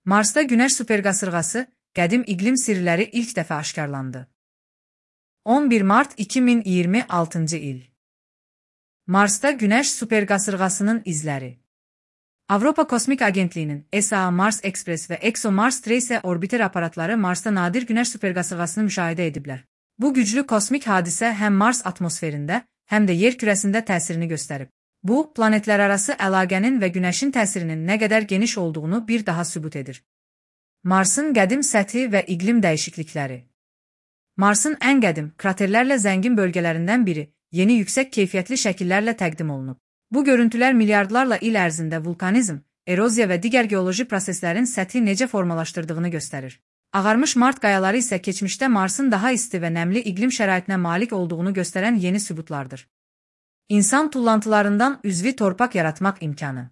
Marsda Günəş superqasırğası, qədim iqlim sirləri ilk dəfə aşkarlandı. 11 mart 2026 il. Marsda Günəş superqasırğasının izləri. Avropa Kosmik Agentliyinin ESA, Mars Express və ExoMars Tracer orbiter aparatları Marsda nadir Günəş superqasırğasını müşahidə ediblər. Bu güclü kosmik hadisə həm Mars atmosferində, həm də yer kürəsində təsirini göstərib. Bu, planetlərarası əlaqənin və Günəşin təsirinin nə qədər geniş olduğunu bir daha sübut edir. Marsın qədim səthi və iqlim dəyişiklikləri. Marsın ən qədim, kraterlərlə zəngin bölgələrindən biri, yeni yüksək keyfiyyətli şəkillərlə təqdim olunub. Bu görüntülər milyardlarla il ərzində vulkanizm, eroziya və digər geoloji proseslərin səthi necə formalaşdırdığını göstərir. Ağarmış Mart qayaları isə keçmişdə Marsın daha isti və nəmli iqlim şəraitinə malik olduğunu göstərən yeni sübutlardır. İnsan tullantılarından üzvi torpaq yaratmaq imkanı.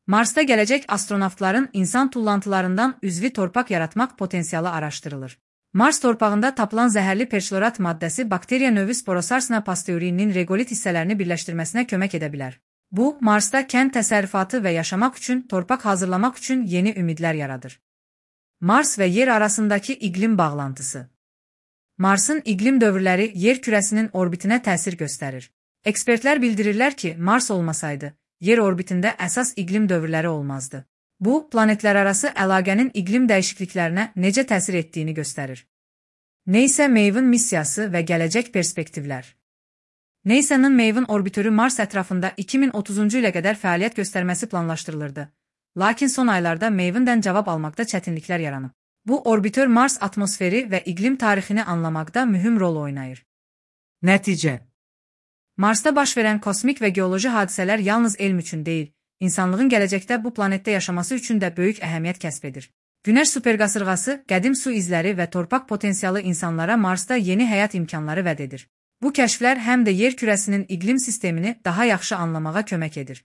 Marsda gələcək astronavtların insan tullantılarından üzvi torpaq yaratmaq potensialı araşdırılır. Mars torpağında tapılan zəhərli perchlorat maddəsi bakteriya növü Sporosarsina pasteurinin regolit hissələrini birləşdirməsinə kömək edə bilər. Bu, Marsda kənd təsərrüfatı və yaşamaq üçün, torpaq hazırlamaq üçün yeni ümidlər yaradır. Mars və yer arasındakı iqlim bağlantısı. Marsın iqlim dövrləri yer kürəsinin orbitinə təsir göstərir. Ekspertlər bildirirlər ki, Mars olmasaydı, yer orbitində əsas iqlim dövrləri olmazdı. Bu, planetlərarası əlaqənin iqlim dəyişikliklərinə necə təsir etdiyini göstərir. NASA Maven missiyası və gələcək perspektivlər. NASA-nın Maven orbitörü Mars ətrafında 2030-cu ilə qədər fəaliyyət göstərməsi planlaşdırılırdı. Lakin son aylarda Maven-dən cavab almaqda çətinliklər yaranıb. Bu, orbitör Mars atmosferi və iqlim tarixini anlamaqda mühüm rol oynayır. Nəticə. Marsda baş verən kosmik və geoloji hadisələr yalnız elm üçün deyil, İnsanlığın gələcəkdə bu planetdə yaşaması üçün də böyük əhəmiyyət kəsb edir. Günəş superqasırğası, qədim su izləri və torpaq potensialı insanlara Marsda yeni həyat imkanları vəd edir. Bu kəşflər həm də yer kürəsinin iqlim sistemini daha yaxşı anlamağa kömək edir.